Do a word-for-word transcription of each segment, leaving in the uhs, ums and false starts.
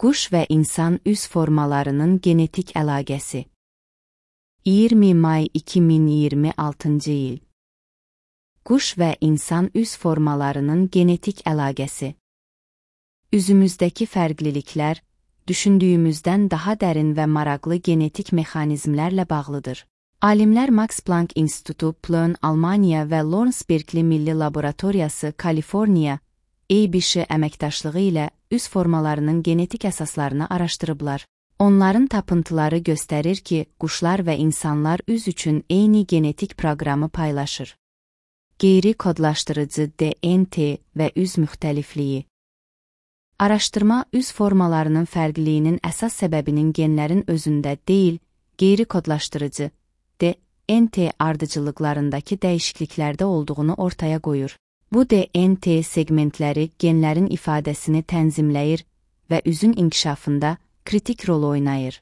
Quş və insan üz formalarının genetik əlaqəsi. iyirmi may iki min iyirmi altıncı il. Quş və insan üz formalarının genetik əlaqəsi. Üzümüzdəki fərqliliklər, düşündüyümüzdən daha dərin və maraqlı genetik mexanizmlərlə bağlıdır. Alimlər Max Planck İnstitutu Plön, Almaniya və Lawrence Berkeley Milli Laboratoriyası, Kaliforniya, A B S əməkdaşlığı ilə üz formalarının genetik əsaslarını araşdırıblar. Onların tapıntıları göstərir ki, quşlar və insanlar üz üçün eyni genetik proqramı paylaşır. Qeyri-kodlaşdırıcı D N T və üz müxtəlifliyi. Araşdırma üz formalarının fərqliliyinin əsas səbəbinin genlərin özündə deyil, qeyri-kodlaşdırıcı D N T ardıcıllıqlarındakı dəyişikliklərdə olduğunu ortaya qoyur. Bu D N T segmentləri genlərin ifadəsini tənzimləyir və üzün inkişafında kritik rol oynayır.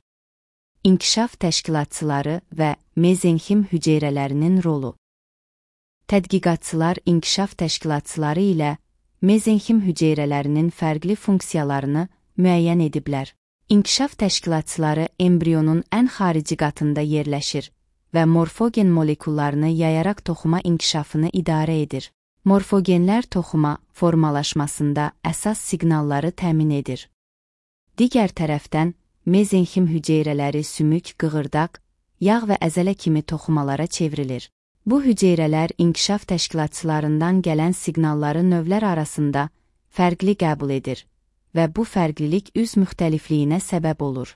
İnkişaf təşkilatçıları və mezenxim hüceyrələrinin rolu. Tədqiqatçılar inkişaf təşkilatçıları ilə mezenxim hüceyrələrinin fərqli funksiyalarını müəyyən ediblər. İnkişaf təşkilatçıları embrionun ən xarici qatında yerləşir və morfogen molekullarını yayaraq toxuma inkişafını idarə edir. Morfogenlər toxuma formalaşmasında əsas siqnalları təmin edir. Digər tərəfdən, mezenxim hüceyrələri sümük, qığırdaq, yağ və əzələ kimi toxumalara çevrilir. Bu hüceyrələr inkişaf təşkilatçılarından gələn siqnalları növlər arasında fərqli qəbul edir və bu fərqlilik üz müxtəlifliyinə səbəb olur.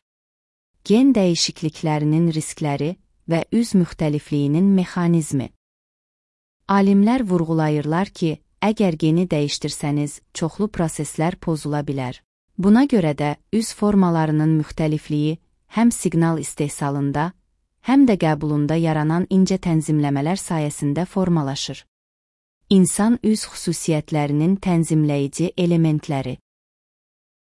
Gen dəyişikliklərinin riskləri və üz müxtəlifliyinin mexanizmi. Alimlər vurğulayırlar ki, əgər geni dəyişdirsəniz, çoxlu proseslər pozula bilər. Buna görə də üz formalarının müxtəlifliyi həm siqnal istehsalında, həm də qəbulunda yaranan incə tənzimləmələr sayəsində formalaşır. İnsan üz xüsusiyyətlərinin tənzimləyici elementləri.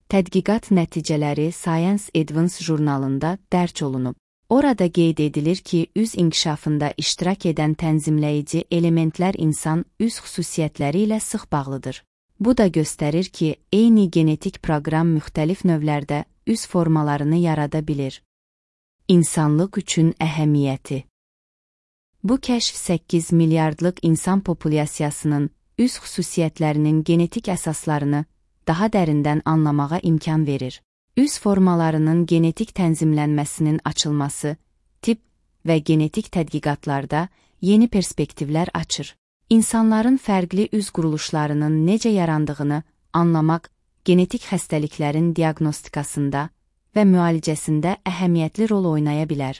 Tədqiqat nəticələri Science Advance jurnalında dərc olunub. Orada qeyd edilir ki, üz inkişafında iştirak edən tənzimləyici elementlər insan üz xüsusiyyətləri ilə sıx bağlıdır. Bu da göstərir ki, eyni genetik proqram müxtəlif növlərdə üz formalarını yarada bilir. İnsanlıq üçün əhəmiyyəti. Bu kəşf səkkiz milyardlıq insan populyasiyasının üz xüsusiyyətlərinin genetik əsaslarını daha dərindən anlamağa imkan verir. Üz formalarının genetik tənzimlənməsinin açılması, tip və genetik tədqiqatlarda yeni perspektivlər açır. İnsanların fərqli üz quruluşlarının necə yarandığını anlamaq, genetik xəstəliklərin diaqnostikasında və müalicəsində əhəmiyyətli rol oynaya bilər.